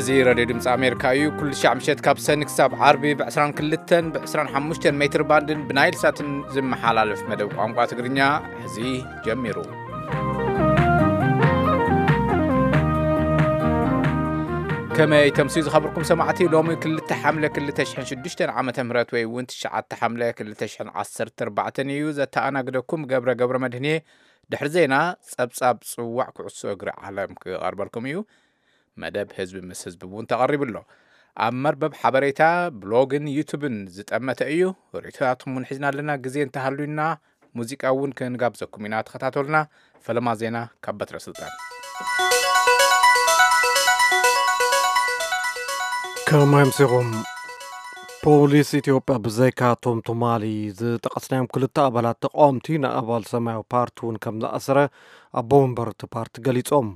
እዚ ሬድዮ ድምፂ ኣሜሪካ እዩ። ኩሉ ሻዕ ምሸት ካብ ሰኒ ክሳብ ዓርቢ ብ22ን ብ25 ሜትር ባንድን ብናይል ሳትን ዝመሓላለፍ መደብ ቋንቋ ትግርኛ ሕዚ ጀሚሩ። ከመይ ተምስዩ ዝኸብርኩም ሰማዕቲ? ሎሚ ክልተ ሓምለ ክልተ ሽሕን ሽዱሽተን ዓመተ ምህረት ወይ እውን ትሽዓተ ሓምለ ክልተ ሽሕን ዓሰርተ ኣርባዕተን እዩ። ዘተኣናግደኩም ገብረ ገብረ መድህን እየ። ድሕሪ ዜና ጸብጻብ ጽዋዕ ኩዕሶ እግሪ ዓለም ክቐርበልኩም እዩ። መደብ ህዝቢ ምስ ህዝቢ እውን ተቐሪቡ ኣሎ። ኣብ መርበብ ሓበሬታ፣ ብሎግን ዩቱብን ዝጠመተ እዩ። ርእይቶታትኩም እውን ሒዝና ኣለና። ግዜ እንተሃልዩና ሙዚቃ እውን ክንጋብዘኩም ኢና። ተኸታተሉና። ፈለማ ዜና ካብ በትረ ስልጣን። ከመይ ኣምሲኹም? ፖሊስ ኢትዮጵያ ብዘይካ እቶም ትማሊ ዝጠቐስናዮም ክልተ ኣባላት ተቃወምቲ፣ ንኣባል ሰማያዊ ፓርቲ እውን ከም ዝኣሰረ ኣቦ መንበር እቲ ፓርቲ ገሊጾም።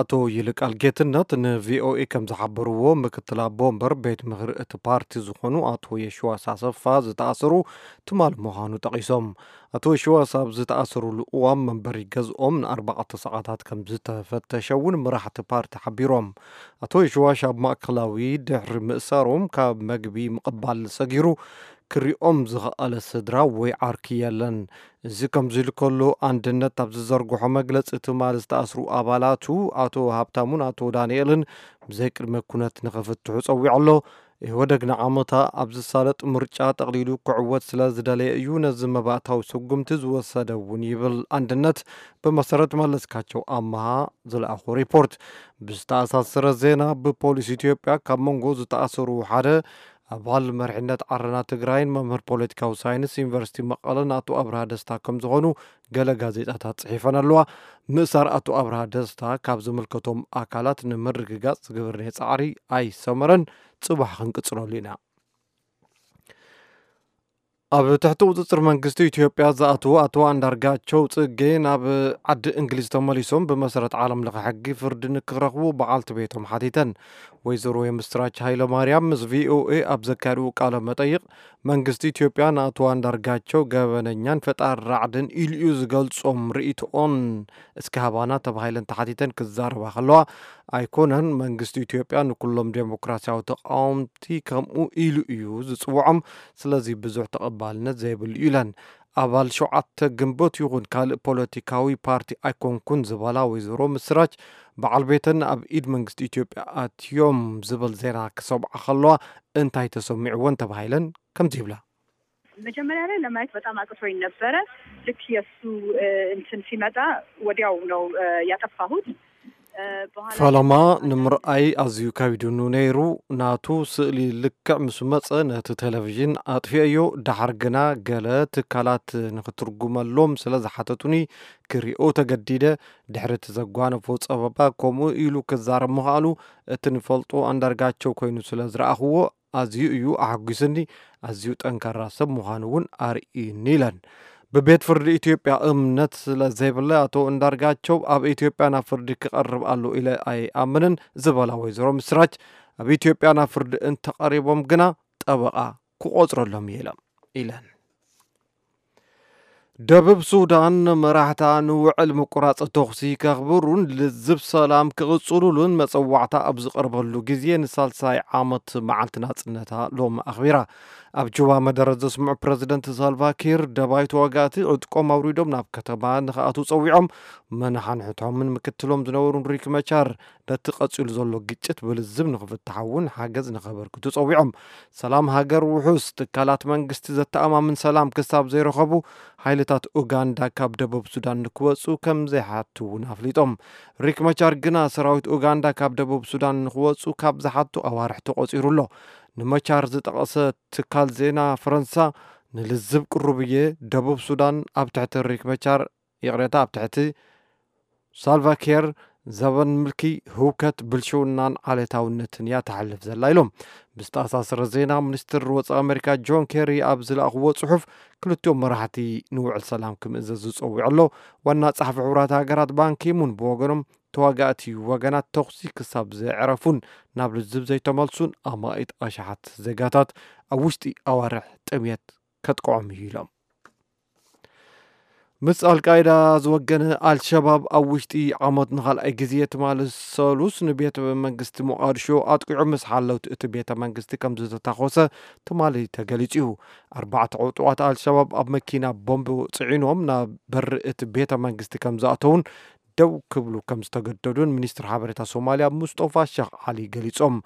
ኣቶ ይልቃል ጌትነት ንቪኦኤ ከም ዝሓበርዎ፣ ምክትል ኣቦ መንበር ቤት ምኽሪ እቲ ፓርቲ ዝኾኑ ኣቶ የሽዋስ ኣሰፋ ዝተኣሰሩ ትማሊ ምዃኑ ጠቒሶም። ኣቶ የሽዋስ ኣብ ዝተኣሰሩሉ እዋን መንበሪ ገዝኦም ንኣርባዕተ ሰዓታት ከም ዝተፈተሸ እውን መራሕቲ ፓርቲ ሓቢሮም። ኣቶ የሽዋስ ኣብ ማእከላዊ ድሕሪ ምእሳሮም ካብ መግቢ ምቕባል ሰጊሩ ክሪኦም ዝኸኣለ ስድራ ወይ ዓርኪ የለን። እዚ ከምዚ ኢሉ ከሎ፣ ኣንድነት ኣብ ዝዘርግሖ መግለጺ፣ ትማሊ ዝተኣስሩ ኣባላቱ ኣቶ ሃብታሙን ኣቶ ዳንኤልን ብዘይ ቅድመ ኩነት ንኽፍትሑ ጸዊዑ ኣሎ። ኢህወደግ ንዓመታ ኣብ ዝሳለጥ ምርጫ ጠቕሊሉ ክዕወት ስለ ዝደለየ እዩ ነዚ መባእታዊ ስጉምቲ ዝወሰደ እውን ይብል ኣንድነት፣ ብመሰረት መለስካቸው ኣመሃ ዝለኣኾ ሪፖርት። ብዝተኣሳሰረ ዜና፣ ብፖሊስ ኢትዮጵያ ካብ መንጎ ዝተኣሰሩ ሓደ ኣባል መሪሕነት ዓረና ትግራይን መምህር ፖለቲካዊ ሳይንስ ዩኒቨርሲቲ መቐለን ኣቶ ኣብርሃ ደስታ ከም ዝኾኑ ገለ ጋዜጣታት ጽሒፈን ኣለዋ። ምእሳር ኣቶ ኣብርሃ ደስታ ካብ ዝምልከቶም ኣካላት ንምርግጋጽ ዝገበርናዮ ጻዕሪ ኣይሰመረን። ጽባሕ ክንቅጽለሉ ኢና። ኣብ ትሕቲ ቁጽጽር መንግስቲ ኢትዮጵያ ዝኣትዉ ኣቶ ኣንዳርጋቸው ጽጌ ናብ ዓዲ እንግሊዝ ተመሊሶም ብመሰረት ዓለም ለኸ ሕጊ ፍርዲ ንክረኽቡ በዓልቲ ቤቶም ሓቲተን። ወይዘሮ የምስራች ሃይለ ማርያም ምስ ቪኦኤ ኣብ ዘካየድዎ ቃለ መጠይቕ፣ መንግስቲ ኢትዮጵያ ንኣቶ ኣንዳርጋቸው ገበነኛን ፈጣሪ ራዕድን ኢሉ እዩ ዝገልጾም ርእይቶኦን እስኪ ሃባና ተባሂለን ተሓቲተን ክዛረባ ከለዋ፣ ኣይኮነን መንግስቲ ኢትዮጵያ ንኩሎም ዴሞክራሲያዊ ተቃወምቲ ከምኡ ኢሉ እዩ ዝጽውዖም፣ ስለዚ ብዙሕ ተቐባልነት ዘይብሉ እዩ ኢለን። ኣባል ሸውዓተ ግንቦት ይኹን ካልእ ፖለቲካዊ ፓርቲ ኣይኮንኩን ዝበላ ወይዘሮ ምስራች፣ በዓል ቤተን ኣብ ኢድ መንግስቲ ኢትዮጵያ ኣትዮም ዝብል ዜና ክሰምዓ ከለዋ እንታይ ተሰሚዕወን ተባሂለን ከምዚ ይብላ። መጀመሪያ ላይ ለማየት በጣም አቅቶኝ ነበረ። ልክ የእሱ እንትን ሲመጣ ወዲያው ነው ያጠፋሁት። ፈለማ ንምርኣይ ኣዝዩ ከቢዱኒ ነይሩ። ናቱ ስእሊ ልክዕ ምስ መጸ ነቲ ቴሌቪዥን ኣጥፊኤዮ። ደሓር ግና ገለ ትካላት ንኽትርጉመሎም ስለ ዝሓተቱኒ ክሪኦ ተገዲደ። ድሕሪ እቲ ዘጓነፎ ጸበባ ከምኡ ኢሉ ክዛረብ ምኽኣሉ እቲ ንፈልጦ ኣንዳርጋቸው ኮይኑ ስለ ዝረኣኽዎ ኣዝዩ እዩ ኣሐጒስኒ። ኣዝዩ ጠንካራ ሰብ ምዃኑ እውን ኣርእዩኒ ኢለን። ብቤት ፍርዲ ኢትዮጵያ እምነት ስለ ዘይብለ ኣቶ እንዳርጋቸው ኣብ ኢትዮጵያ ናብ ፍርዲ ክቐርብ ኣሎ ኢለ ኣይኣምንን ዝበላ ወይዘሮ ምስራች ኣብ ኢትዮጵያ ናብ ፍርዲ እንተቐሪቦም ግና ጠበቓ ክቖፅረሎም እየ ኢለን። ደቡብ ሱዳን መራሕታ ንውዕል ምቁራፅ ተኹሲ ከኽብሩን ልዝብ ሰላም ክቕፅሉሉን መፀዋዕታ ኣብ ዝቐርበሉ ግዜ ንሳልሳይ ዓመት መዓልቲ ናፅነታ ሎሚ ኣኽቢራ። ኣብ ጁባ መደረ ዘስምዑ ፕረዚደንት ሳልቫኪር ደባይ ተዋጋእቲ ዕጥቆም ኣውሪዶም ናብ ከተማ ንኽኣትዉ ፀዊዖም። መናሓንሕቶምን ምክትሎም ዝነበሩን ሪክ መቻር ነቲ ቀፂሉ ዘሎ ግጭት ብልዝብ ንኽፍታሕ እውን ሓገዝ ንኸበርክቱ ጸዊዖም። ሰላም ሃገር ውሑስ ትካላት መንግስቲ ዘተኣማምን ሰላም ክሳብ ዘይረኸቡ ሓይልታት ኡጋንዳ ካብ ደቡብ ሱዳን ንክወፁ ከም ዘይሓቱ እውን ኣፍሊጦም። ሪክ መቻር ግና ሰራዊት ኡጋንዳ ካብ ደቡብ ሱዳን ንክወፁ ካብ ዝሓቱ ኣዋርሕ ተቆፂሩ ኣሎ። ንመቻር ዝጠቐሰ ትካል ዜና ፈረንሳ ንልዝብ ቅሩብ እየ። ደቡብ ሱዳን ኣብ ትሕቲ ሪክ መቻር ይቕሬታ ኣብ ትሕቲ ሳልቫኪር ዘበን ምልኪ ህውከት ብልሽውናን ዓሌታውነትን እያ ተሕልፍ ዘላ ኢሎም። ብዝተኣሳሰረ ዜና ሚኒስትር ወፃኢ ኣሜሪካ ጆን ኬሪ ኣብ ዝለኣኽዎ ፅሑፍ ክልቲኦም መራሕቲ ንውዕል ሰላም ክምእዘዝ ዝፀዊዑ ኣሎ። ዋና ፃሕፊ ሕቡራት ሃገራት ባንኪሙን ብወገኖም ተዋጋእቲ ወገናት ተኹሲ ክሳብ ዘዕረፉን ናብ ልዝብ ዘይተመልሱን ኣማኢት ኣሽሓት ዜጋታት ኣብ ውሽጢ ኣዋርሕ ጥምየት ከጥቅዖም እዩ ኢሎም። ምስ ኣልቃይዳ ዝወገነ ኣልሸባብ ኣብ ውሽጢ ዓመት ንኻልኣይ ግዜ ትማሊ ሰሉስ ንቤተ መንግስቲ ሞቓድሾ ኣጥቂዑ፣ ምስ ሓለውቲ እቲ ቤተ መንግስቲ ከም ዝተታኾሰ ትማሊ ተገሊጹ እዩ። ኣርባዕተ ዕጡቓት ኣልሸባብ ኣብ መኪና ቦምብ ጽዒኖም ናብ በሪ እቲ ቤተ መንግስቲ ከም ዝኣተውን ደው ክብሉ ከም ዝተገደዱን ሚኒስትር ሓበሬታ ሶማልያ ሙስጦፋ ሸኽ ዓሊ ገሊጾም።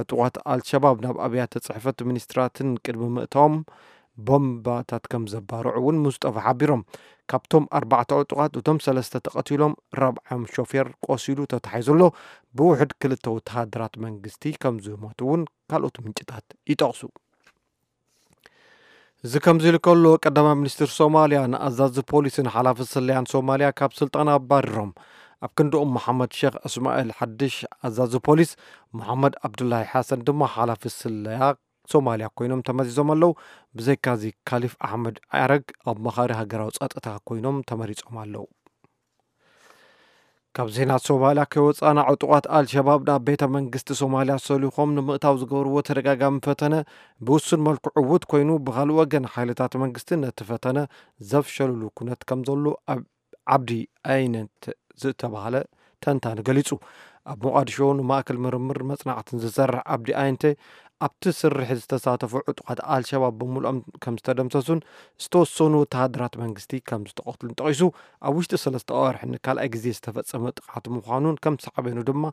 ዕጡቓት ኣልሸባብ ናብ ኣብያተ ጽሕፈት ሚኒስትራትን ቅድሚ ምእታዎም ቦምባታት ከም ዘባርዑ እውን ሙስጠፋ ሓቢሮም። ካብቶም ኣርባዕተ ዕጡቓት እቶም ሰለስተ ተቐቲሎም፣ ራብዓዮም ሾፌር ቆሲሉ ተታሒዙ ኣሎ። ብውሕድ ክልተ ወተሃደራት መንግስቲ ከም ዝሞቱ እውን ካልኦት ምንጭታት ይጠቕሱ። እዚ ከምዚ ኢሉ ከሎ፣ ቀዳማይ ሚኒስትር ሶማልያ ንኣዛዚ ፖሊስን ሓላፊ ስለያን ሶማልያ ካብ ስልጣን ኣባሪሮም። ኣብ ክንድኦም፣ መሓመድ ሼክ እስማኤል ሓድሽ ኣዛዚ ፖሊስ፣ መሓመድ ኣብዱላሂ ሓሰን ድማ ሓላፊ ስለያ ሶማልያ ኮይኖም ተመዚዞም ኣለዉ። ብዘይካዚ፣ ካሊፍ ኣሕመድ ኣረግ ኣማኻሪ ሃገራዊ ጸጥታ ኮይኖም ተመሪጾም ኣለዉ። ካብ ዜና ሶማልያ ከይወጻና፣ ዕጡቓት ኣልሸባብ ናብ ቤተ መንግስቲ ሶማልያ ሰሊኾም ንምእታው ዝገበርዎ ተደጋጋሚ ፈተነ ብውሱን መልክዑ ዕዉት ኮይኑ፣ ብኻልእ ወገን ሓይልታት መንግስቲ ነቲ ፈተነ ዘፍሸልሉ ኩነት ከም ዘሎ ኣብ ዓብዲ ኣይነት ዝተባህለ ተንታኒ ገሊጹ። ኣብ ሞቓድሾ ንማእከል ምርምር መጽናዕትን ዝሰርሕ ዓብዲ ኣይንተ፣ ኣብቲ ስርሒት ዝተሳተፉ ዕጡቓት ኣልሸባብ ብምሉኦም ከም ዝተደምሰሱን ዝተወሰኑ ወተሃደራት መንግስቲ ከም ዝተቐትሉን ጠቒሱ፣ ኣብ ውሽጢ ሰለስተ ኣዋርሕ ንካልኣይ ግዜ ዝተፈጸመ ጥቕዓት ምዃኑን ከም ሳዕቤኑ ድማ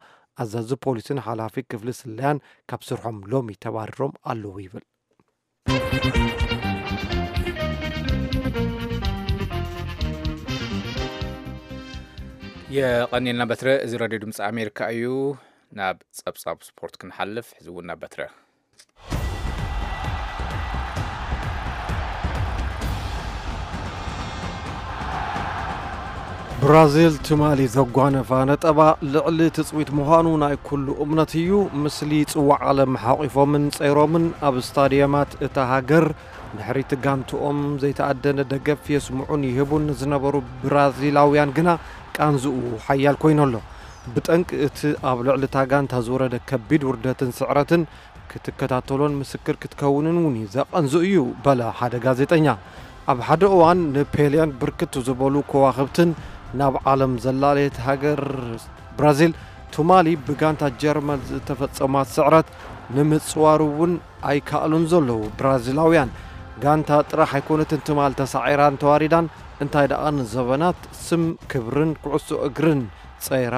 ኣዛዚ ፖሊስን ሓላፊ ክፍሊ ስለያን ካብ ስርሖም ሎሚ ተባሪሮም ኣለዉ ይብል። የቐኒልና በትረ። እዚ ራድዮ ድምፂ ኣሜሪካ እዩ። ናብ ጸብጻብ ስፖርት ክንሓልፍ፣ ሕዚ እውን ናብ በትረ። ብራዚል ትማሊ ዘጓነፋ ነጠባ ልዕሊ ትጽቢት ምዃኑ ናይ ኩሉ እምነት እዩ። ምስሊ ጽዋዕ ዓለም ሓቒፎምን ጸይሮምን ኣብ ስታድየማት እታ ሃገር ንሕሪቲ ጋንትኦም ዘይተኣደነ ደገፍ የስምዑን ይህቡን ንዝነበሩ ብራዚላውያን ግና ቃንዝኡ ሓያል ኮይኑ ኣሎ። ብጠንቂ እቲ ኣብ ልዕሊ እታ ጋንታ ዝወረደ ከቢድ ውርደትን ስዕረትን ክትከታተሎን ምስክር ክትከውንን እውን ዘቐንዝእ እዩ፣ በለ ሓደ ጋዜጠኛ። ኣብ ሓደ እዋን ንፔሌን ብርክት ዝበሉ ከዋኽብትን ናብ ዓለም ዘላለየት ሃገር ብራዚል፣ ትማሊ ብጋንታ ጀርመን ዝተፈጸማ ስዕረት ንምጽዋር እውን ኣይከኣሉን ዘለዉ ብራዚላውያን። ጋንታ ጥራሕ ኣይኮነትን ትማል ተሳዒራን ተዋሪዳን፣ እንታይ ደኣ ንዘበናት ስም ክብርን ኩዕሶ እግርን ጸይራ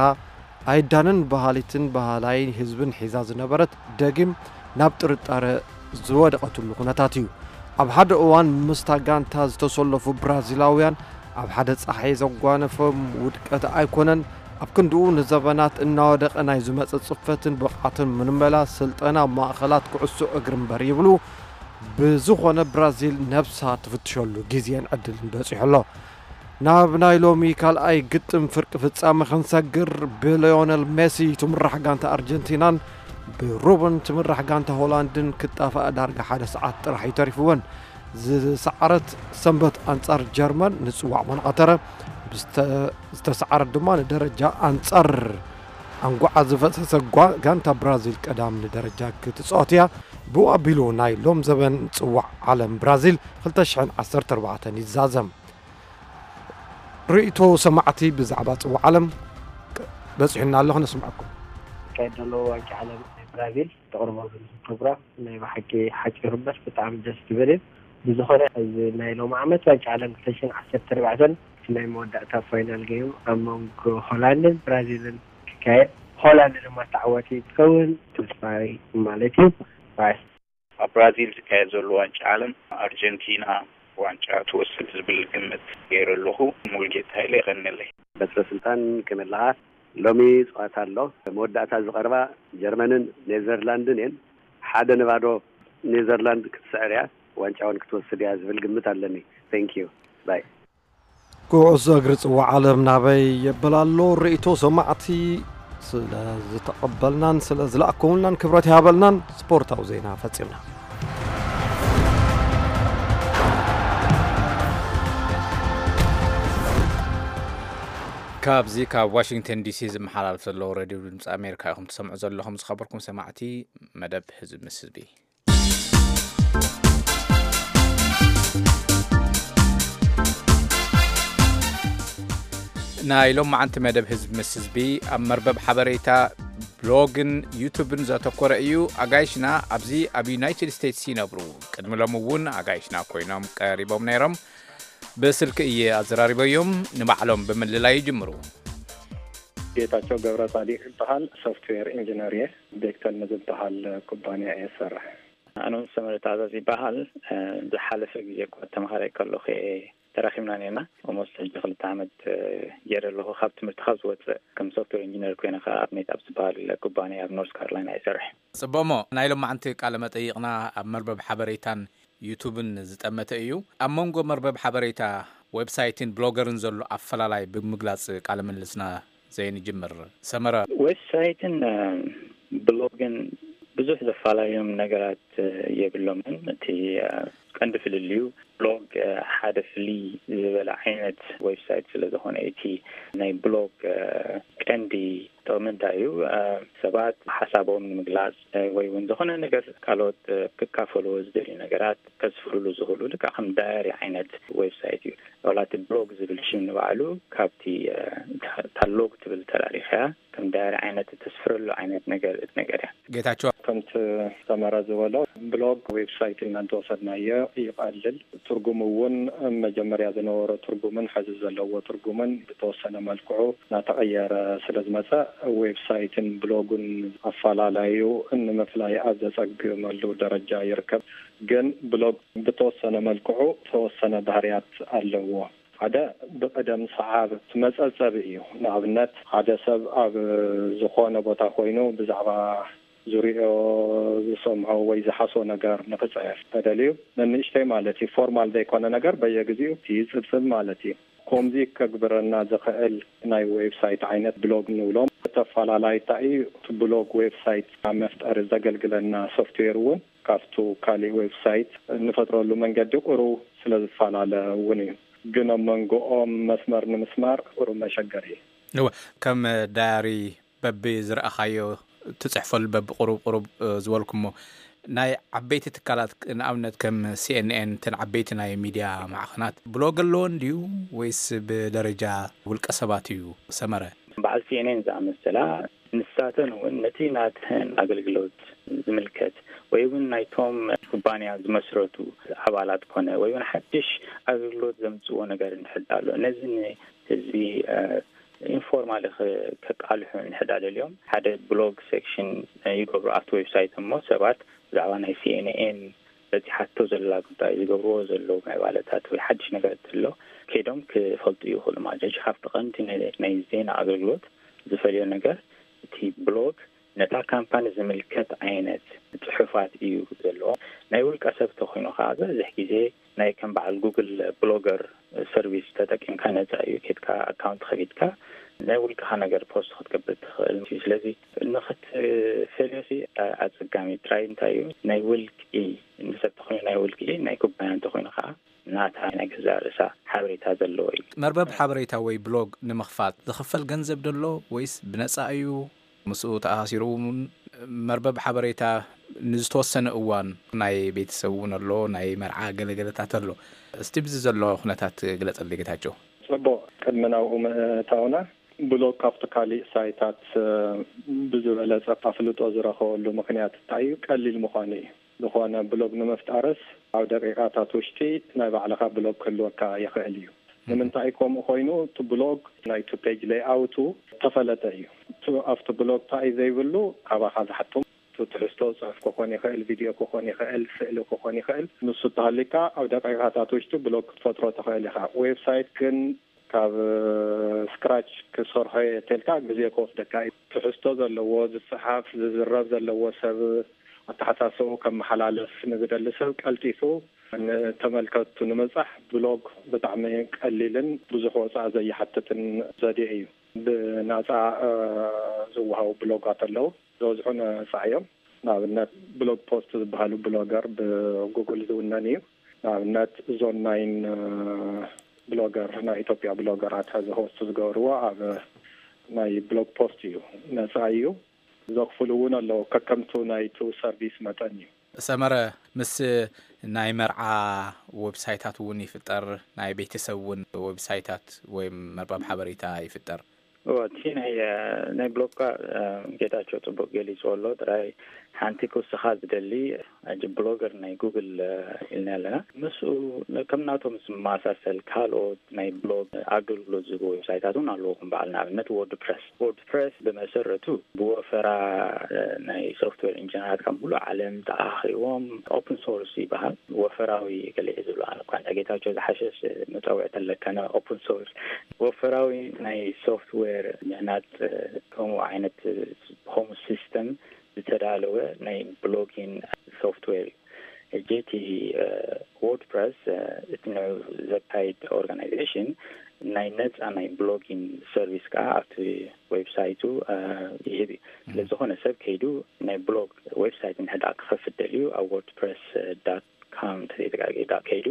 ኣይዳንን በሃሊትን በሃላይ ህዝብን ሒዛ ዝነበረት ደጊም ናብ ጥርጣረ ዝወደቐትሉ ኩነታት እዩ። ኣብ ሓደ እዋን ምስታ ጋንታ ዝተሰለፉ ብራዚላውያን ኣብ ሓደ ጸሓይ ዘጓነፎም ውድቀት ኣይኮነን። ኣብ ክንድኡ ንዘበናት እናወደቐ ናይ ዝመጸ ጽፈትን ብቕዓትን ምልመላ ስልጠና ማእኸላት ኩዕሶ እግሪ እምበር ይብሉ። ብዝኾነ ብራዚል ነብሳ ትፍትሸሉ ግዜን ዕድልን በጺሑ ኣሎ። ናብ ናይ ሎሚ ካልኣይ ግጥም ፍርቂ ፍጻመ ክንሰግር፣ ብሊዮነል ሜሲ ትምራሕ ጋንታ ኣርጀንቲናን ብሩበን ትምራሕ ጋንታ ሆላንድን ክጣፍኣ ዳርጋ ሓደ ሰዓት ጥራሕ እዩ ተሪፍወን። ዝሰዓረት ሰንበት ኣንጻር ጀርመን ንጽዋዕ መን ቐተረ፣ ብዝተ-፣ ዝተሰዓረት ድማ ንደረጃ ኣንጻር ኣንጓዓ ዝፈሰሰ ጓ-፣ ጋንታ ብራዚል ቀዳም ንደረጃ ክትጻወት እያ። ብኡ ኣቢሉ ናይ ሎም ዘበን ጽዋዕ ዓለም ብራዚል ክልተ ሽሕን ዓሰርተ ኣርባዕተን ይዛዘም። ርእይቶ ሰማዕቲ ብዛዕባ ጽዋዕ ዓለም በጺሑና ኣሎ፣ ክነስምዐኩም። ዝካየድ ዘሎ ዋንጫ ዓለም ናይ ብራዚል ተቕርቦ ዘለኹም ፕሮግራም ናይ ብሓቂ ሓጺሩ እምበር ብጣዕሚ ደስ ዝብል እዩ። ብዝኾነ፣ እዚ ናይ ሎም ዓመት ዋንጫ ዓለም ክልተ ሽሕን ዓሰርተ ኣርባዕተን ናይ መወዳእታ ፋይናል ጌም ኣብ መንጎ ሆላንድን ብራዚልን ክካየድ፣ ሆላንድ ድማ ተዓዋቲ ትኸውን ተስፋይ ማለት እዩ። ባይ። ኣብ ብራዚል ዝካየድ ዘሎ ዋንጫ ዓለም ኣርጀንቲና ዋንጫ ትወስድ ዝብል ግምት ገይረ ኣለኹ። ሙሉጌታ ሃይለ፣ የቐንየለይ። በትረ ስልጣን፣ ከመይ ኣለኻ? ሎሚ ጸዋታ ኣሎ። መወዳእታ ዝቐርባ ጀርመንን ኔዘርላንድን እየን። ሓደ ንባዶ ኔዘርላንድ ክትስዕር እያ፣ ዋንጫ እውን ክትወስድ እያ ዝብል ግምት ኣለኒ። Thank you። ባይ። ኩዕሶ እግሪ ጽዋዕ ዓለም ናበይ የብል ኣሎ? ርእይቶ ሰማዕቲ ስለ ዝተቐበልናን ስለ ዝለኣኩምልናን ክብረት ይሃበልናን። ስፖርታዊ ዜና ፈጺምና። ካብዚ ካብ ዋሽንግተን ዲሲ ዝመሓላለፍ ዘሎ ሬድዮ ድምፂ ኣሜሪካ ኢኹም ትሰምዑ ዘለኹም። ዝኸበርኩም ሰማዕቲ መደብ ህዝቢ ምስ ህዝቢ። ናይ ሎማዓንቲ መደብ ህዝቢ ምስ ህዝቢ ኣብ መርበብ ሓበሬታ፣ ብሎግን ዩቱብን ዘተኮረ እዩ። ኣጋይሽና ኣብዚ ኣብ ዩናይትድ ስቴትስ ይነብሩ። ቅድሚ ሎም እውን ኣጋይሽና ኮይኖም ቀሪቦም ነይሮም። ብስልኪ እየ ኣዘራሪበዮም። ንባዕሎም ብምልላይ ይጅምሩ። ጌታቸው ገብረ ጻዲቅ ይበሃል። ሶፍትዌር ኢንጂነር እየ። ቤክተል ንዝበሃል ኩባንያ እየ ዝሰርሕ። ኣነ እውን ሰመረ ትእዛዝ ይበሃል። ዝሓለፈ ግዜ እኳ ተምሃራይ ከለኹ እየ ተራኺብና ነርና። ኦሞስት ሕጂ ክልተ ዓመት ገይረ ኣለኹ። ካብ ትምህርቲ ካብ ዝወፅእ ከም ሶፍትዌር ኢንጂነር ኮይነ ከዓ ኣብ ሜት ኣብ ዝበሃል ኩባንያ ኣብ ኖርስ ካሮላይና ይሰርሕ። ፅቡቕሞ፣ ናይ ሎማዓንቲ ቃለ መጠይቕና ኣብ መርበብ ሓበሬታን ዩቱብን ዝጠመተ እዩ። ኣብ መንጎ መርበብ ሓበሬታ፣ ዌብሳይትን ብሎገርን ዘሎ ኣፈላላይ ብምግላፅ ቃለ ምልልስና ዘይንጅምር። ሰመረ። ዌብሳይትን ብሎግን ብዙሕ ዘፈላለዮም ነገራት የብሎምን። እቲ ቀንዲ ፍልልዩ፣ ብሎግ ሓደ ፍልይ ዝበለ ዓይነት ዌብሳይት ስለ ዝኾነ፣ እቲ ናይ ብሎግ ቀንዲ ጥቕሚ እንታይ እዩ? ሰባት ሓሳቦም ንምግላጽ ወይ እውን ዝኾነ ነገር ካልኦት ክካፈልዎ ዝደልዩ ነገራት ከስፍርሉ ዝኽእሉ፣ ልክዕ ከም ዳያሪ ዓይነት ዌብሳይት እዩ። ዋላ እቲ ብሎግ ዝብል ሽም ንባዕሉ ካብቲ እታ ሎግ ትብል ተላሊኸያ ከም ዳያሪ ዓይነት እተስፍረሉ ዓይነት ነገር ነገር እያ። ጌታቸው። ከምቲ ሰመረ ዝበሎ፣ ብሎግ ዌብሳይት ኢና እንተወሰድናዮ ይቐልል። ትርጉሙ እውን መጀመርያ ዝነበሮ ትርጉምን ሕዚ ዘለዎ ትርጉምን ብተወሰነ መልክዑ እናተቐየረ ስለ ዝመፀ፣ ዌብሳይትን ብሎጉን ኣፈላላዩ ንምፍላይ ኣብ ዘፀግመሉ ደረጃ ይርከብ። ግን ብሎግ ብተወሰነ መልክዑ ተወሰነ ባህርያት ኣለዎ። ሓደ ብቕደም ሰዓብ እቲ መጸብጸቢ እዩ። ንኣብነት፣ ሓደ ሰብ ኣብ ዝኾነ ቦታ ኮይኑ ብዛዕባ ዙሪኦ ዝሰምዖ ወይ ዝሓስቦ ነገር ንኽጽሕፍ ተደልዩ፣ ንንእሽተይ ማለት እዩ፣ ፎርማል ዘይኮነ ነገር በየግዜኡ ይጽብጽብ ማለት እዩ። ከምዚ ከግብረና ዝኽእል ናይ ዌብሳይት ዓይነት ብሎግ ንብሎም። እቲ ኣፈላላይ እንታይ እዩ? እቲ ብሎግ ዌብሳይት ኣብ መፍጠሪ ዘገልግለና ሶፍትዌር እውን ካብቱ ካሊእ ዌብሳይት እንፈጥረሉ መንገዲ ቁሩብ ስለ ዝፈላለ እውን እዩ። ግን ኣብ መንጎኦም መስመር ንምስማር ቁሩብ መሸገሪ እዩ። እወ፣ ከም ዳያሪ በቢ ዝረኣኻዮ ትጽሕፈሉ በቢ ቁሩብ ቁሩብ ዝበልኩሞ ናይ ዓበይቲ ትካላት ንኣብነት ከም ሲኤንኤን እተን ዓበይቲ ናይ ሚድያ ማዕኸናት ብሎግ ኣለዎን ድዩ ወይስ ብደረጃ ውልቀ ሰባት እዩ ሰመረ? በዓል ሲኤንኤን ዝኣመሰላ ንሳተን እውን ነቲ ናተን ኣገልግሎት ዝምልከት ወይ እውን ናይቶም ኩባንያ ዝመስረቱ ኣባላት ኮነ ወይ እውን ሓድሽ ኣገልግሎት ዘምፅዎ ነገር እንድሕር ኣሎ ነዚ ንህዝቢ ኢንፎርማሊ ከቃልሑ እንድሕር ደልዮም ሓደ ብሎግ ሴክሽን ይገብሩ ኣብቲ ዌብሳይት እሞ ሰባት ብዛዕባ ናይ ሲኤንኤን በፂሓቶ ዘላ ጉዳይ ዝገብርዎ ዘለዉ ምዕባለታት ወይ ሓድሽ ነገር እንተሎ ከይዶም ክፈልጡ ይኽእሉ ማለት እዩ። ካብቲ ቀንዲ ናይ ዜና ኣገልግሎት ዝፈልዮ ነገር እቲ ብሎግ ነታ ካምፓኒ ዝምልከት ዓይነት ፅሑፋት እዩ ዘለዎ። ናይ ውልቀ ሰብ ተኮይኑ ከዓ ዝበዝሕ ግዜ ናይ ከም በዓል ጉግል ብሎገር ሰርቪስ ተጠቂምካ ነፃ እዩ። ኬድካ ኣካውንት ከፊትካ ናይ ውልቅኻ ነገር ፖስት ክትገብር ትኽእል። ስለዚ ንኽትፈልዮ ኣፀጋሚ ጥራይ እንታይ እዩ ናይ ውልቂ ንሰብ ተኮይኑ ናይ ውልቂ ናይ ኩባንያ እንተኮይኑ ከዓ ናታ ናይ ገዛእ ርእሳ ሓበሬታ ዘለዎ እዩ። መርበብ ሓበሬታ ወይ ብሎግ ንምኽፋት ዝኽፈል ገንዘብ ደሎ ወይስ ብነጻ እዩ? ምስኡ ተኣሳሲሩ እውን መርበብ ሓበሬታ ንዝተወሰነ እዋን ናይ ቤተሰብ እውን ኣሎ፣ ናይ መርዓ ገለገለታት ኣሎ። እስቲ ብዚ ዘሎ ኩነታት ግለጸለይ ጌታቸው። ጽቡቕ፣ ቅድሚ ናብኡ ምእታውና ብሎግ ካብቲ ካሊእ ሳይታት ብዝበለጸ ኣፍልጦ ዝረኸበሉ ምኽንያት እንታይ እዩ? ቀሊል ምዃኑ እዩ። ዝኾነ ብሎግ ንምፍጣርስ ኣብ ደቂቃታት ውሽጢ ናይ ባዕልኻ ብሎግ ክህልወካ ይኽእል እዩ። ንምንታይ ከምኡ ኮይኑ? እቲ ብሎግ ናይቲ ፔጅ ሌይኣውቱ ዝተፈለጠ እዩ። ኣብቲ ብሎግ እንታይ እዩ ዘይብሉ? ካባኻ ዝሓቶም እቲ ትሕዝቶ፣ ፅሑፍ ክኾን ይኽእል፣ ቪድዮ ክኾን ይኽእል፣ ስእሊ ክኾን ይኽእል። ንሱ እንተሃልዩካ ኣብ ደቂቃታት ውሽጢ ብሎግ ክትፈጥሮ ትኽእል ኢኻ። ዌብሳይት ግን ካብ ስክራች ክሰርሖ እየ ተልካ ግዜ ክወስደካ እዩ። ትሕዝቶ ዘለዎ ዝፀሓፍ ዝዝረብ ዘለዎ ሰብ ኣተሓሳስብኡ ከመሓላልፍ ንዝደሊ ሰብ ቀልጢፉ ንተመልከቱ ንምብፃሕ ብሎግ ብጣዕሚ ቀሊልን ብዙሕ ወፃኢ ዘይሓትትን ዘዴ እዩ። ብናፃ ዝወሃቡ ብሎጋት ኣለዉ። ዝበዝሑ ነፃ እዮም። ንኣብነት ብሎግ ፖስት ዝበሃሉ ብሎገር ብጉግል ዝውነን እዩ። ንኣብነት ዞን ናይን ብሎገር ናይ ኢትዮጵያ ብሎገራት ሕዚ ሆስት ዝገብርዎ ኣብ ናይ ብሎግ ፖስት እዩ፣ ነፃ እዩ። ዘኽፍሉ እውን ኣለዉ፣ ከከምቱ ናይቱ ሰርቪስ መጠን እዩ። ሰመረ፣ ምስ ናይ መርዓ ዌብሳይታት እውን ይፍጠር፣ ናይ ቤተሰብ እውን ዌብሳይታት ወይ መርበብ ሓበሬታ ይፍጠር። እዎ፣ እቲ ናይ ናይ ብሎግ ኳ ጌታቸው ጽቡቅ ገሊጽዎ ኣሎ። ጥራይ ሓንቲ ክውስኻ ዝደሊ፣ ሕጂ ብሎገር ናይ ጉግል ኢልና ኣለና። ምስኡ ከም ናቶም ዝመሳሰል ካልኦት ናይ ብሎግ ኣገልግሎት ዝህቡ ዌብሳይታት እውን ኣለዎ። ከም በዓል ንኣብነት ወርድፕረስ። ወርድፕረስ ብመሰረቱ ብወፈራ ናይ ሶፍትዌር ኢንጂነራት ካብ ሙሉእ ዓለም ተኣኻኺቦም፣ ኦፕን ሶርስ ይበሃል። ወፈራዊ ገለ ዝብሉ ኣነ እኳ ጌታቸው ዝሓሸሽ መጸውዒ ተለከነ፣ ኦፕን ሶርስ ወፈራዊ ናይ ሶፍትዌር ምህናጽ ከምኡ ዓይነት ሆም ሲስተም ዝተዳለወ ናይ ብሎጊን ሶፍትዌር እዩ። ሕጂ እቲ ወርድፕረስ እቲ ንዑ ዘካይድ ኦርጋናይዜሽን ናይ ነጻ ናይ ብሎጊን ሰርቪስ ከዓ ኣብቲ ዌብሳይቱ ይህብ እዩ። ስለዝኾነ ሰብ ከይዱ ናይ ብሎግ ዌብሳይት እንድሕር ክኸፍት ደልዩ ኣብ ወርድፕረስ ዳት ካም ተዘይተጋጊ ዳ ከይዱ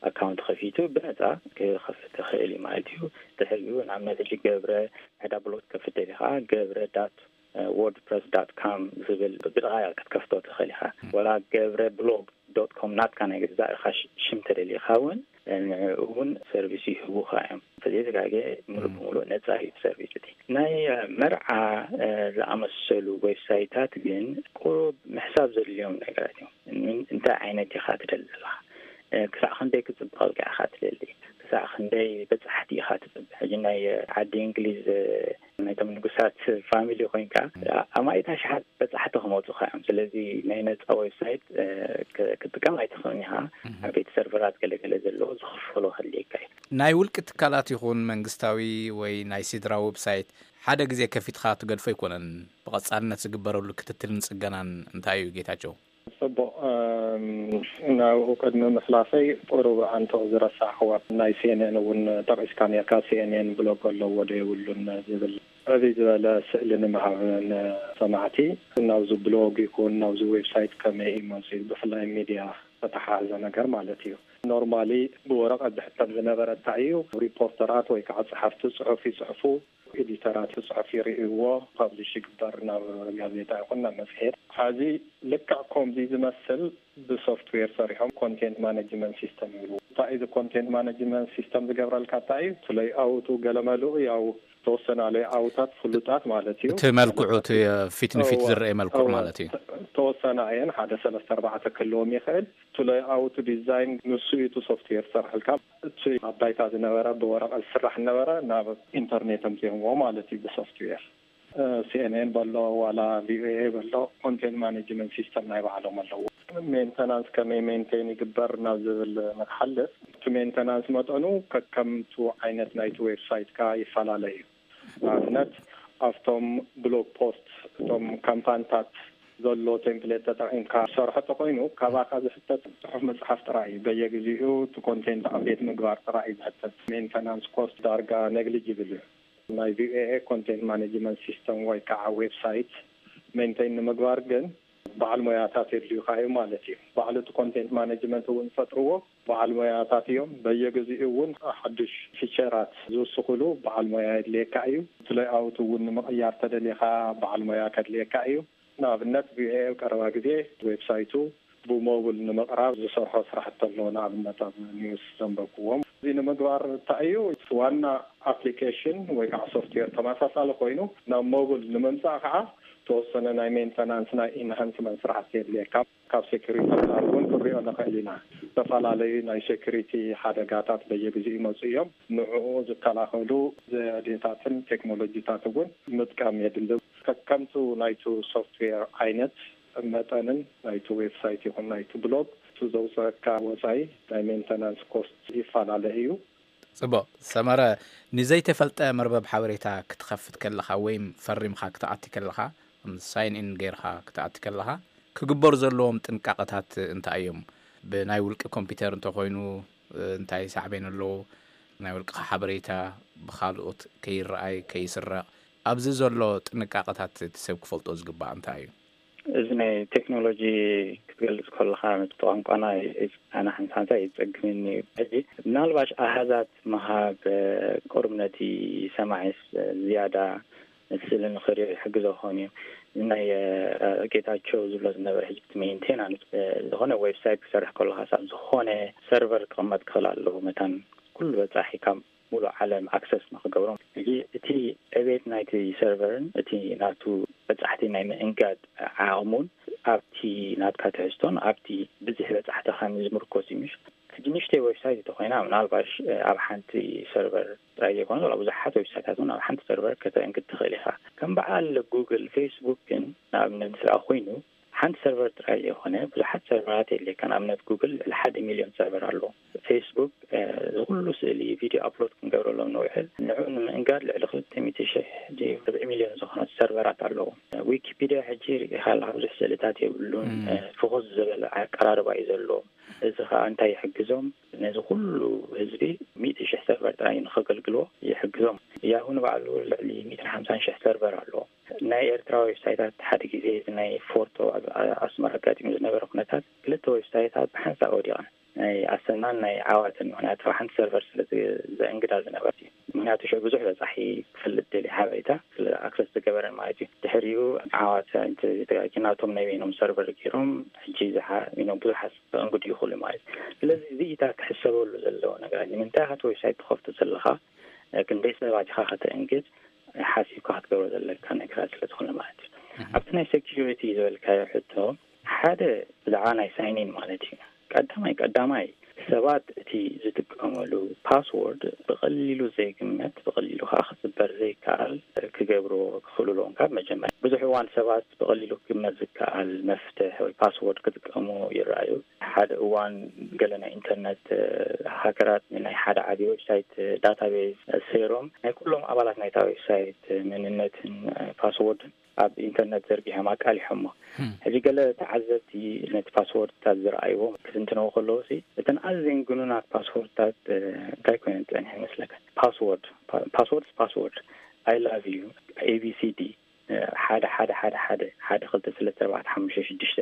ኣካውንት ከፊቱ ብነጻ ክኸፍት ይኽእል እዩ ማለት እዩ። ድሕሪኡ ንኣብነት ሕጂ ገብረ ሕዳ ብሎግ ከፍት ደሊኻ ገብረ ዳት ወርድፕረስ ዳት ካም ዝብል ብድቓያ ክትከፍቶ ትኽእል ኢኻ። ወላ ገብረ ብሎግ ዶት ኮም ናትካ ናይ ገዛእ ኢኻ ሽም ተደሊኻ እውን እውን ሰርቪስ ይህቡኻ እዮም። ተዘይተጋገ ሙሉእ ብሙሉእ ነፃ እዩ ሰርቪስ። እቲ ናይ መርዓ ዝኣመሰሉ ዌብሳይታት ግን ቁሩብ ምሕሳብ ዘድልዮም ነገራት እዮም። እንታይ ዓይነት ኢኻ ትደሊ ዘለኻ? ክሳዕ ክንደይ ክፅብቐልካ ኢኻ ትደሊ? ክሳዕ ክንደይ በፃሕቲ ኢኻ ትፅብቅ? ሕጂ ናይ ዓዲ እንግሊዝ ናይቶም ንጉሳት ፋሚሊ ኮይንካ ኣማኢት ኣሽሓት በፃሕቲ ክመፁኻ እዮም። ስለዚ ናይ ነፃ ዌብሳይት ክጥቀም ኣይትኽእልን ኢኻ። ዓበይቲ ሰርቨራት ገለገለ ዘለዎ ዝኽፈሎ ክህልየካ እዩ። ናይ ውልቂ ትካላት ይኹን መንግስታዊ ወይ ናይ ሲድራ ዌብሳይት ሓደ ግዜ ከፊትካ ትገድፎ ኣይኮነን። ብቐፃልነት ዝግበረሉ ክትትልን ፅገናን እንታይ እዩ ጌታቸው? ጽቡቕ። ናብኡ ቅድሚ ምሕላፈይ ቁሩብ ኣንቶ ዝረሳዕኽዋ ናይ ሲኤንኤን እውን ጠቒስካ ነርካ። ሲኤንኤን ብሎግ ኣለዎ ዶ የብሉን ዝብል ዕብይ ዝበለ ስእሊ ንምሃብ ንሰማዕቲ ናብዚ ብሎግ ይኹን ናብዚ ዌብሳይት ከመይ እዩ መፅኡ፣ ብፍላይ ሚድያ ዝተተሓሓዘ ነገር ማለት እዩ። ኖርማሊ ብወረቐት ዝሕተም ዝነበረ እንታይ እዩ፣ ሪፖርተራት ወይ ከዓ ጸሓፍቲ ጽሑፍ ይጽሕፉ፣ ኤዲተራት ጽሑፍ ይርእይዎ፣ ፓብሊሽ ይግበር ናብ ጋዜጣ ይኹን ናብ መጽሔት። ሕዚ ልክዕ ከምዚ ዝመስል ብሶፍትዌር ሰሪሖም ኮንቴንት ማኔጅመንት ሲስተም ይብሉ። እንታይ እዚ ኮንቴንት ማኔጅመንት ሲስተም ዝገብረልካ እንታይ እዩ? እቲ ሌይኣውቱ ገለ መልኡ ያው ተወሰና ሌይኣውታት ፍሉጣት ማለት እዩ። እቲ መልክዑ እቲ ፊት ንፊት ዝረአ መልክዑ ማለት እዩ። ተወሰና እየን፣ ሓደ ሰለስተ ኣርባዕተ ክህልዎም ይኽእል። እቲ ሌይኣውቱ ዲዛይን ንሱ እዩ እቲ ሶፍትዌር ዝሰርሐልካ። እቲ ኣብ ባይታ ዝነበረ ብወረቐት ዝስራሕ ዝነበረ ናብ ኢንተርኔት ኣምፂኦምዎ ማለት እዩ ብሶፍትዌር። ሲኤንኤን በሎ ዋላ ቪኦኤ በሎ ኮንቴንት ማኔጅመንት ሲስተም ናይ ባዕሎም ኣለዎ። ሜንተናንስ ከመይ ሜንቴን ይግበር ናብ ዝብል ንክሓልፍ እቲ ሜንተናንስ መጠኑ ከከምቱ ዓይነት ናይቲ ዌብሳይትካ ይፈላለ እዩ። ንኣብነት ኣብቶም ብሎግ ፖስት እቶም ካምፓንታት ዘሎ ቴምፕሌት ተጠቒምካ ሰርሖ ተኮይኑ ካባካ ዝሕተት ጽሑፍ ምጽሓፍ ጥራይ እዩ። በየግዜኡ እቲ ኮንቴንት ኣፕዴት ምግባር ጥራይ እዩ ዝሕተት። ሜንተናንስ ኮስት ዳርጋ ነግሊጅብል እዩ። ናይ ቪኦኤ ኮንቴንት ማኔጅመንት ሲስተም ወይ ከዓ ዌብሳይት ሜንቴን ንምግባር ግን በዓል ሞያታት የድልዩካ እዩ ማለት እዩ። ባዕሉ እቲ ኮንቴንት ማኔጅመንት እውን ዝፈጥርዎ በዓል ሞያታት እዮም። በየግዜኡ እውን ሓዱሽ ፊቸራት ዝውስኹሉ በዓል ሞያ የድልየካ እዩ። እቲ ሌይኣውት እውን ንምቕያር ተደሊኻ በዓል ሞያ ከድልየካ እዩ። ንኣብነት ቪኦኤ ኣብ ቀረባ ግዜ ዌብሳይቱ ብሞብል ንምቕራብ ዝሰርሖ ስራሕቲ ኣሎ። ንኣብነት ኣብ ኒውስ ዘንበብኩዎም። እዚ ንምግባር እንታይ እዩ ዋና ኣፕሊኬሽን ወይ ከዓ ሶፍትዌር ተመሳሳሊ ኮይኑ ናብ ሞብል ንምምፃእ ከዓ ተወሰነ ናይ ሜንተናንስ ናይ ኢንሃንስመንት ስራሕቲ የድልየካ። ካብ ሴኩሪቲ ኣንጻር እውን ክንሪኦ ንኽእል ኢና። ዝተፈላለዩ ናይ ሴኩሪቲ ሓደጋታት በየግዜኡ ይመፁ እዮም። ንዕኡ ዝከላኸሉ ዘዴታትን ቴክኖሎጂታት እውን ምጥቃም የድሊ። ከከምቱ ናይቱ ሶፍትዌር ዓይነት መጠንን ናይቱ ዌብሳይት ይኹን ናይቱ ብሎግ እቲ ዘውፅአካ ወፃኢ ናይ ሜንተናንስ ኮስት ይፈላለ እዩ። ጽቡቕ። ሰመረ፣ ንዘይተፈልጠ መርበብ ሓበሬታ ክትኸፍት ከለኻ ወይም ፈሪምኻ ክትኣቲ ከለኻ፣ ሳይን ኢን ጌርኻ ክትኣቲ ከለኻ፣ ክግበሩ ዘለዎም ጥንቃቐታት እንታይ እዮም? ብናይ ውልቂ ኮምፒውተር እንተኾይኑ፣ እንታይ ሳዕቤን ኣለዎ? ናይ ውልቅኻ ሓበሬታ ብኻልኦት ከይረኣይ፣ ከይስረቕ፣ ኣብዚ ዘሎ ጥንቃቐታት እቲ ሰብ ክፈልጦ ዝግባእ እንታይ እዩ? እዚ ናይ ቴክኖሎጂ ክትገልጽ ከለኻ፣ ነቲ ቋንቋና ኣነ ሓንሳንሳ ይጸግመኒ እዩ። ሕጂ ምናልባሽ ኣሃዛት ምሃብ፣ ቁሩብ ነቲ ሰማዒስ ዝያዳ እቲ ስእሊ ንኽሪኦ ይሕግዞ ክኸውን እዩ። ናይ ጌታቸው ዝብሎ ዝነበረ ሕጂ እቲ ሜንቴናንስ ዝኾነ ዌብሳይት ክሰርሕ ከሎ ሓሳብ ዝኾነ ሰርቨር ክቕመጥ ክኽእል ኣለዎ። መታን ኩሉ በጻሒ ካብ ሙሉእ ዓለም ኣክሰስ ንኽገብሮም። ሕጂ እቲ ዕቤት ናይቲ ሰርቨርን እቲ ናቱ በጻሕቲ ናይ ምእንጋድ ዓቕሙን ኣብቲ ናትካ ትሕዝቶን ኣብቲ ብዝሒ በጻሕትኻን ዝምርኮስ እዩ። ምሽ ሕጂ ንእሽተይ ዌብሳይት እንተኾይና ምናልባሽ ኣብ ሓንቲ ሰርቨር ጥራይ ዘይኮነ ላ ብዙሓት ዌብሳይታት እውን ኣብ ሓንቲ ሰርቨር ከተእንግድ ትኽእል ኢኻ። ከም በዓል ጉግል፣ ፌስቡክ ግን ንኣብነት ስራ ኮይኑ ሓንቲ ሰርቨር ጥራይ ዘይኮነ ብዙሓት ሰርቨራት የድልየካ። ንኣብነት ጉግል ልዕሊ ሓደ ሚልዮን ሰርቨር ኣለዎ። ፌስቡክ ዝኩሉ ስእሊ ቪድዮ ኣፕሎድ ክንገብረሎም ንውዕል ንዑ ንምእንጋድ ልዕሊ ክልተ ሚእቲ ሽሕ ርብዒ ሚልዮን ዝኾነ ሰርቨራት ኣለዎ። ዊኪፒድያ ሕጂ ርኢኻላ ብዙሕ ስእልታት የብሉን። ፍኹስ ዝበለ ኣቀራርባ እዩ ዘለዎ። እዚ ከዓ እንታይ ይሕግዞም? ነዚ ኩሉ ህዝቢ ሚእቲ ሽሕ ሰርቨር ጥራይ ንኸገልግልዎ ይሕግዞም። ያሁ ንባዕሉ ልዕሊ ሚእትን ሓምሳን ሽሕ ሰርቨር ኣለዎ። ናይ ኤርትራ ዌብሳይታት ሓደ ግዜ እዚ ናይ ፎርቶ ኣብ ኣስመራ ኣጋጢሙ ዝነበረ ኩነታት ክልተ ዌብሳይታት ብሓንሳእ ወዲቐን ናይ ኣሰናን ናይ ዓዋትን ምክንያቱ ሓንቲ ሰርቨር ስለ ዘእንግዳ ዝነበረት እዩ። ምክንያቱ ሽዑ ብዙሕ በጻሒ ክፈልጥ ደልዩ ሓበሬታ ስለ ኣክሰስ ዝገበረን ማለት እዩ። ድሕሪኡ ዓዋተ ናቶም ናይ በይኖም ሰርቨር ገይሮም ሕጂ ብዙሓት ከእንግዱ ይኽእሉ ማለት እዩ። ስለዚ እዚኢታት ክሕሰበሉ ዘለዎ ነገር እዩ። ንምንታይ ኢኻ እቲ ዌብሳይት ትኸፍቶ ዘለኻ ክንደይ ሰባት ኢኻ ከተእንግድ ሓሲብካ ክትገብሮ ዘለካ ነገራት ስለ ዝኾነ ማለት እዩ። ኣብቲ ናይ ሴኪሪቲ ዝበልካዮ ሕቶ ሓደ ብዛዕባ ናይ ሳይኒን ማለት እዩ። ቀዳማይ ቀዳማይ ሰባት እቲ ዝጥቀመሉ ፓስወርድ ብቐሊሉ ዘይግመት ብቐሊሉ ከዓ ክፅበር ዘይከኣል ክገብርዎ ክኽእሉ ኣለዎም። ካብ መጀመርያ ብዙሕ እዋን ሰባት ብቐሊሉ ክግመት ዝከኣል መፍትሕ ወይ ፓስወርድ ክጥቀሙ ይረኣዩ። ሓደ እዋን ገለ ናይ ኢንተርነት ሃከራት ናይ ሓደ ዓብዪ ዌብሳይት ዳታቤዝ ሰይሮም ናይ ኩሎም ኣባላት ናይታ ዌብሳይት መንነትን ፓስወርድን ኣብ ኢንተርነት ዘርጊሖም ኣቃሊሖሞ። ሕጂ ገለ ተዓዘብቲ ነቲ ፓስወርድታት ዝረኣይዎ ክትንትነው ከለዉ ሲ እተን ኣዝየን ግኑናት ፓስወርድታት እንታይ ኮይነን ፀኒሐ ይመስለካ? ፓስወርድ ፓስወርድ ፓስወርድ፣ I love you፣ A B C D፣ ሓደ ሓደ ሓደ ሓደ ሓደ ክልተ ሰለስተ ኣርባዕተ ሓሙሽተ ሽዱሽተ።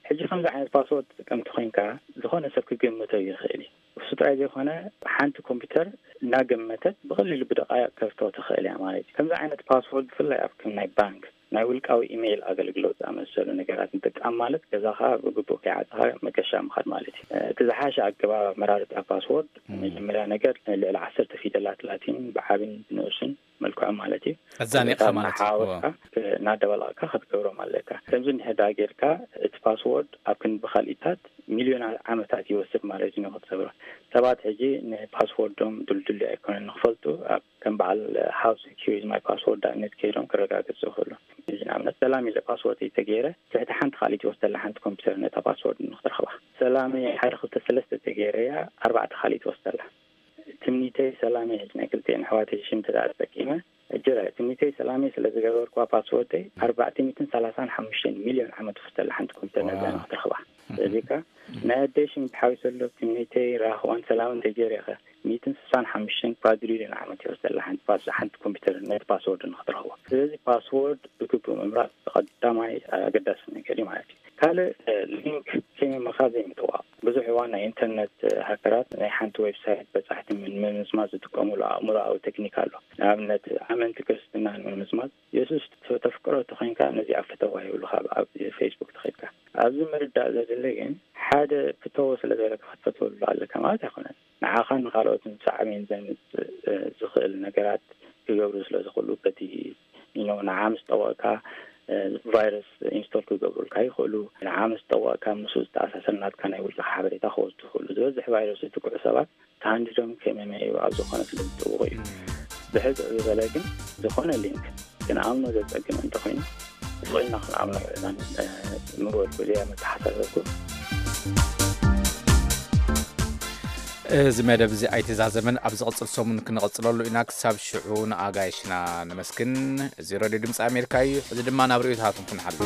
ሕጂ ከምዚ ዓይነት ፓስወርድ ትጥቀምቲ ኮይንካ ዝኾነ ሰብ ክግምቶ ይኽእል እዩ። እሱ ጥራይ ዘይኮነ ሓንቲ ኮምፒውተር እናገመተት ብቐሊሉ ብደቃይቕ ከፍቶ ትኽእል እያ ማለት እዩ። ከምዚ ዓይነት ፓስወርድ ብፍላይ ኣብ ከም ናይ ባንክ ናይ ውልቃዊ ኢሜይል ኣገልግሎት ዝኣመሰሉ ነገራት ምጥቃም ማለት ገዛኻ ብግቡእ ከይዓፀኻ መገሻ ምኻድ ማለት እዩ። እቲ ዝሓሸ ኣገባብ ኣመራርፃ ፓስወርድ መጀመርያ ነገር ልዕሊ ዓሰርተ ፊደላት ላቲን ብዓብን ብንኡስን መልክዖም ማለት እዩ። እዛ ኒቕኻ ማለት እዩ። ሓወስካ እናደበላቕካ ክትገብሮም ኣለካ። ከምዚ እንድሕር ደኣ ጌርካ እቲ ፓስወርድ ኣብ ክንዲ ብኻልኢታት ሚልዮናት ዓመታት ይወስድ ማለት እዩ ንክትሰብሮ። ሰባት ሕጂ ንፓስወርዶም ድልድል ኣይኮነን ንክፈልጡ ኣብ ከም በዓል ሃው ሴኪር ኢዝ ማይ ፓስወርድ ኣብነት ከይዶም ክረጋግፁ ይኽእሉ። እዚ ንኣብነት ሰላም ኢለ ፓስወርድ ተገይረ ትሕቲ ሓንቲ ካልእ ትወስደላ ሓንቲ ኮምፒውተር ነታ ፓስወርድ ንክትረኽባ። ሰላም ሓደ ክልተ ሰለስተ ተገይረ እያ ኣርባዕተ ካልእ ትወስደላ። ትምኒተይ ሰላመይ ሕጂ ናይ ክልቲኤን ኣሕዋተይ ሽም ተዳኣ ተጠቂመ እጅረ ትምኒተይ ሰላመይ ስለ ዝገበርኩዋ ፓስወርደይ ኣርባዕተ ሚእትን ሰላሳን ሓሙሽተን ሚልዮን ዓመት ውስጥ ሓንቲ ኮምፒተር ነዛ ንክትረኽባ። ስለዚ ከ ናይ ኣደይ ሽም ተሓዊሰሎ ትምኒተይ ራህዋን ሰላምን ተጀሪኸ ሚእትን ስሳን ሓሙሽተን ኳድሪልዮን ዓመት ይወስደላ ሓንቲ ፓስ ሓንቲ ኮምፒተር ነቲ ፓስወርድ ንክትረኽቦ። ስለዚ ፓስወርድ ብግቡእ ምምራፅ ቀዳማይ ኣገዳሲ ነገር እዩ ማለት እዩ። ካልእ ሊንክ ከይምምኻ ዘይምጥዋቕ። ብዙሕ እዋን ናይ ኢንተርነት ሃከራት ናይ ሓንቲ ዌብሳይት በጻሕቲ ንምምዝማዝ ዝጥቀሙሉ ኣእምሮኣዊ ቴክኒክ ኣሎ። ንኣብነት ኣመንቲ ክርስትና ንምምዝማዝ የሱስ ተፍቅሮ ተኮይንካ ነዚኣ ፍተዋ ይብሉኻ ኣብ ፌስቡክ ተኸድካ። ኣብዚ ምርዳእ ዘድሊ ግን ሓደ ፍተዎ ስለ ዝበለካ ክትፈትወሉ ኣለካ ማለት ኣይኮነን። ንዓኻን ንኻልኦትን ሳዕቤን ዘምፅእ ዝኽእል ነገራት ክገብሩ ስለ ዝኽእሉ በቲ you know ንዓ ምስ ጠወቕካ ቫይረስ ኢንስቶል ክገብሩልካ ይኽእሉ። ንዓ ምስ ጠወቕካ ምስኡ ዝተኣሳሰር ናትካ ናይ ውልቅኻ ሓበሬታ ክወስዱ ይኽእሉ። ዝበዝሕ ቫይረስ ዝጥቅዑ ሰባት ተሃንዲዶም ከመመ እዩ ኣብ ዝኾነ ስለ ዝጥውቑ እዩ። ብሕፅር ዝበለ ግን ዝኾነ ሊንክ ክንኣምኖ ዘፀግም እንተኾይኑ ስቕ ኢልና ክንኣምኖ ይዕዛን ምበልኩ እዚኣ መተሓሳሰብኩ። እዚ መደብ እዚ ኣይተዛዘመን ኣብ ዝቕፅል ሰሙን ክንቕፅለሉ ኢና። ክሳብ ሽዑ ንኣጋይሽና ነመስግን። እዚ ረድዮ ድምፂ ኣሜሪካ እዩ። እዚ ድማ ናብ ርእዮታትኩም ክንሓልፍ።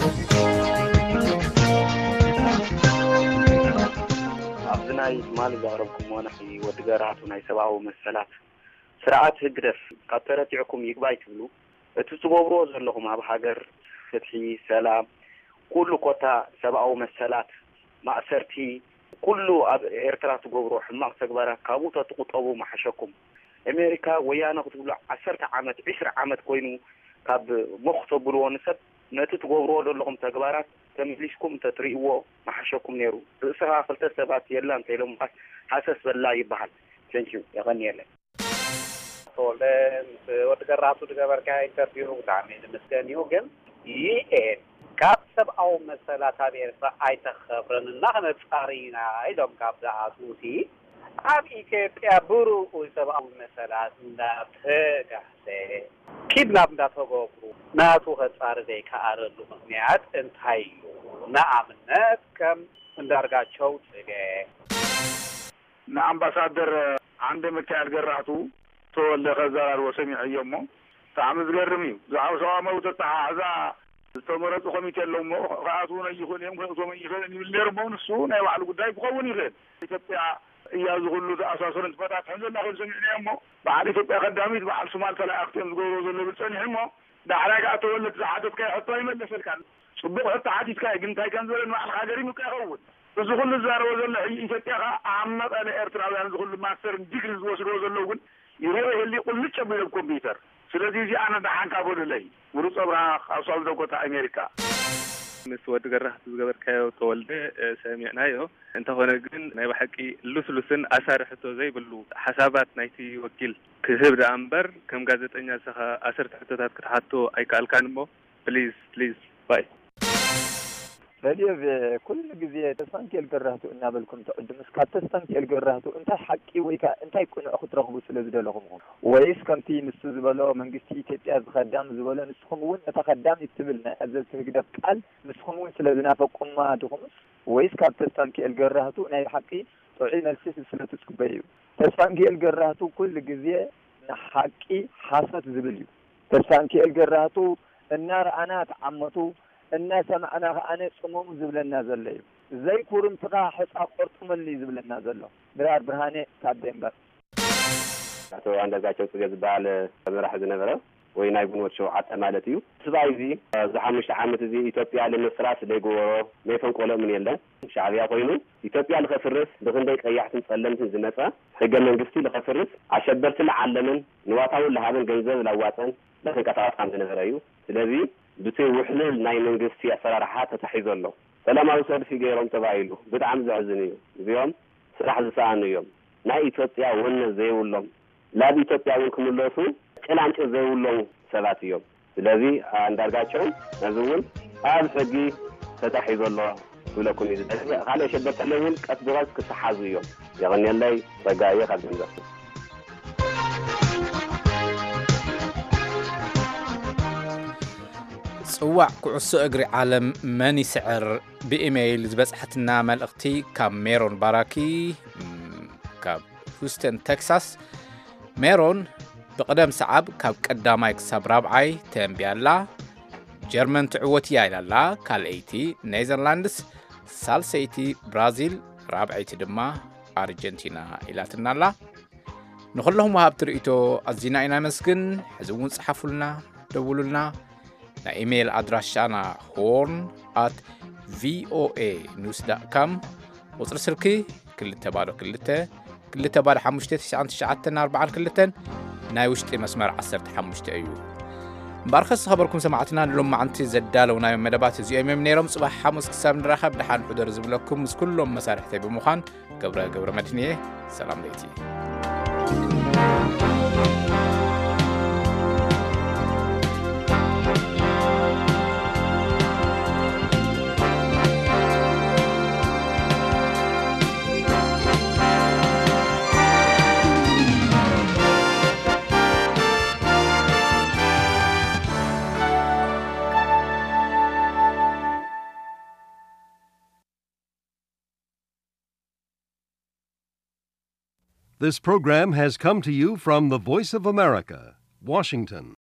ኣብዚ ናይ ትማሊ ዘቕረብኩሞ ናይ ወዲ ገራቱ ናይ ሰብኣዊ መሰላት ስርዓት ህግደፍ ካብ ተረቲዕኩም ይግባይ ትብሉ። እቲ ትገብርዎ ዘለኹም ኣብ ሃገር ፍትሒ፣ ሰላም፣ ኩሉ ኮታ ሰብኣዊ መሰላት፣ ማእሰርቲ፣ ኩሉ ኣብ ኤርትራ ትገብርዎ ሕማቕ ተግባራት ካብኡ ተትቁጠቡ ምሓሸኩም። ኤሜሪካ ወያነ ክትብሉ ዓሰርተ ዓመት ዒስራ ዓመት ኮይኑ ካብ ሞኽ ተብልዎ ንሰብ፣ ነቲ ትገብርዎ ዘለኹም ተግባራት ተመሊስኩም እንተትርእይዎ ምሓሸኩም ነይሩ። ርእስኻ ክልተ ሰባት የላ እንተኢሎምኻስ ሃሰስ በላ ይበሃል። Thank you። የቐንየለይ። ተወልደ፣ ምስ ወዲ ገራቱ ዝገበርካዮ ኢንተርቪው ብጣዕሚ ዝምስገን እዩ። ግን ዩ ኤን ካብ ሰብኣዊ መሰላት ኣብ ኤርትራ ኣይተኸብረን እና ክነጻሪ ኢና ኢሎም ካብ ዝኣትዉሲ፣ ኣብ ኢትዮጵያ ብርኡይ ሰብኣዊ መሰላት እንዳተጋህሰ፣ ኪድናፕ እንዳተገብሩ ናቱ ከጻሪ ዘይከኣለሉ ምኽንያት እንታይ እዩ? ንኣብነት ከም እንዳርጋቸው ጽገ። ንኣምባሳደር ዓንደ ሚካኤል ገራህቱ ተወልደ ከዘራርቦ ሰሚዐዮ እሞ፣ ብጣዕሚ ዝገርም እዩ። ብዛዕባ ሰብኣዊ መብት ኣተሓሕዛ ዝተመረጹ ኮሚቴ ኣለዉ እሞ፣ ክኣትዉ ኣይኽእሉን እዮም፣ ክእትዎም ኣይኽእልን ይብል ነይሩ እሞ፣ ንሱ ናይ ባዕሉ ጉዳይ ክኸውን ይኽእል። ኢትዮጵያ እያ እዚ ኩሉ ተኣሳስሮን ትፈታትሕን ዘላ ኮይኑ ሰሚዕናዮ እሞ፣ በዓል ኢትዮጵያ ቀዳሚት፣ በዓል ሱማል ተላኣኽቲ እዮም ዝገብርዎ ዘለዉ ይብል ጸኒሑ እሞ፣ ዳሕራይ ከኣ ተወልደ ዝሓተትካዮ ሕቶ ኣይመለሰልካን። ጽቡቕ ሕቶ ሓቲትካ እዩ፣ ግን እንታይ ከም ዝበለ ንባዕልኻ ገሪሙካ ይኸውን። እዚ ኩሉ ዝዛረቦ ዘሎ ሕጂ ኢትዮጵያ ከኣ ኣብ መቐለ ኤርትራውያን እዚ ኩሉ ማስተርን ዲግሪ ዝወስድዎ ዘለዉ እውን ይረኦ ይህሊ ቁልጭ ኣቢሎም ኮምፒውተር። ስለዚ እዚኣ ነዳሓንካ በሉለይ። ምሩፅ ኣብርሃ ካብ ሳውዝ ዳኮታ ኣሜሪካ። ምስ ወዲ ገራህቱ ዝገበርካዮ ተወልደ፣ እ፣ ሰሚዕናዮ። እንተኾነ ግን ናይ ብሓቂ ልስሉስን ኣሳሪ ሕቶ ዘይብሉ ሓሳባት ናይቲ ወኪል ክህብ ደኣ እምበር ከም ጋዜጠኛ ንስኻ ኣሰርቲ ሕቶታት ክትሓቶ ኣይከኣልካን እሞ ፕሊዝ ፕሊዝ ባይ። ሬድዮ ቪኦኤ ኩሉ ግዜ ተስፋንኪኤል ገራህቱ እናበልኩም ትዕድሙስ ካብ ተስፋንኪኤል ገራህቱ እንታይ ሓቂ ወይ ከዓ እንታይ ቅኑዕ ክትረኽቡ ስለ ዝደለኹም ኢኹም? ወይስ ከምቲ ንሱ ዝበሎ መንግስቲ ኢትዮጵያ እዚ ከዳሚ ዝበሎ ንስኹም እውን ነታ ከዳሚት ትብል ናይ ኣዘዝቲ ህግደፍ ቃል ንስኹም እውን ስለ ዝናፈቅኩማ ድኹምስ? ወይስ ካብ ተስፋንኪኤል ገራህቱ ናይ ብሓቂ ጥዑይ መልሲ ስለ ትጽበዩ እዩ? ተስፋንኪኤል ገራህቱ ኩሉ ግዜ ንሓቂ ሓሶት ዝብል እዩ። ተስፋንኪኤል ገራህቱ እናረኣና ተዓመቱ እናሰማዕና ከኣነ ጽመሙ ዝብለና ዘሎ እዩ። ዘይኩርምትኻ ሕጻ ቆርጥመሉ እዩ ዝብለና ዘሎ። ድራር ብርሃነ ካብ ዴንበር። ኣቶ ኣንዳርጋቸው ጽገ ዝበሃል መራሒ ዝነበረ ወይ ናይ ግንቦት ሸውዓተ ማለት እዩ። ስብኣይ እዚ ኣብዚ ሓሙሽተ ዓመት እዚ ኢትዮጵያ ንምፍራስ ዘይገበሮ ዘይፈንቆሎ እውን የለን። ሻዕብያ ኮይኑ ኢትዮጵያ ልኸፍርስ ብክንደይ ቀያሕትን ጸለምትን ዝመጸ ሕገ መንግስቲ ልኸፍርስ ኣሸበርቲ ልዓለመን ንዋታውን ልሃበን ገንዘብ ላዋጸን ለተንቀሳቐስ ከም ዝነበረ እዩ። ስለዚ ብቲ ውሕልል ናይ መንግስቲ ኣሰራርሓ ተታሒዞ ኣሎ። ሰላማዊ ሰልፊ ገይሮም ተባሂሉ ብጣዕሚ ዘሕዝን እዩ። እዚኦም ስራሕ ዝሰኣኑ እዮም። ናይ ኢትዮጵያ ወነ ዘይብሎም ላብ ኢትዮጵያ እውን ክምለሱ ጭላንጭል ዘይብሎም ሰባት እዮም። ስለዚ ኣንዳርጋቸውን ነዚ እውን ኣብ ሕጊ ተታሒዞ ኣሎ ክብለኩም እዩ ዝደሊ። ካልእ ሸበርተለ እውን ቀስ ብቐስ ክተሓዙ እዮም። የቐንየለይ ጸጋየ ካብ ደንበርቱ። ጽዋዕ ኩዕሶ እግሪ ዓለም መን ይስዕር? ብኢሜይል ዝበጽሐትና መልእኽቲ ካብ ሜሮን ባራኪ ካብ ሁስተን ቴክሳስ። ሜሮን ብቕደም ሰዓብ ካብ ቀዳማይ ክሳብ ራብዓይ ተንቢያላ። ጀርመን ትዕወት እያ ኢላላ ካልኣይቲ፣ ኔዘርላንድስ ሳልሰይቲ፣ ብራዚል ራብዐይቲ ድማ ኣርጀንቲና ኢላትናላ። ንኹለኹም ወሃብቲ ርእይቶ ኣዚና ኢና ነመስግን። ሕዚ እውን ጸሓፉልና፣ ደውሉልና። ናይ ኢሜይል ኣድራሻና ሆርን ኣት ቪኦኤ ኒውስ ዳት ካም፣ ቁጽሪ ስልኪ ክልተ ባዶ ክልተ ክልተ ባዶ ሓሙሽተ ትሽዓን ትሽዓተን ኣርባዓን ክልተን፣ ናይ ውሽጢ መስመር ዓሰርተ ሓሙሽተ እዩ። እምበኣርከስ ዝኸበርኩም ሰማዕትና ንሎማዓንቲ ዘዳለውናዮም መደባት እዚኦም እዮም ነይሮም። ጽባሕ ሓሙስ ክሳብ ንራኸብ ደሓን ሕደሩ ዝብለኩም ምስ ኩሎም መሳርሕተይ ብምዃን ገብረ ገብረ መድህን እየ። ሰላም ለይቲ። This program has come to you from the Voice of America, Washington.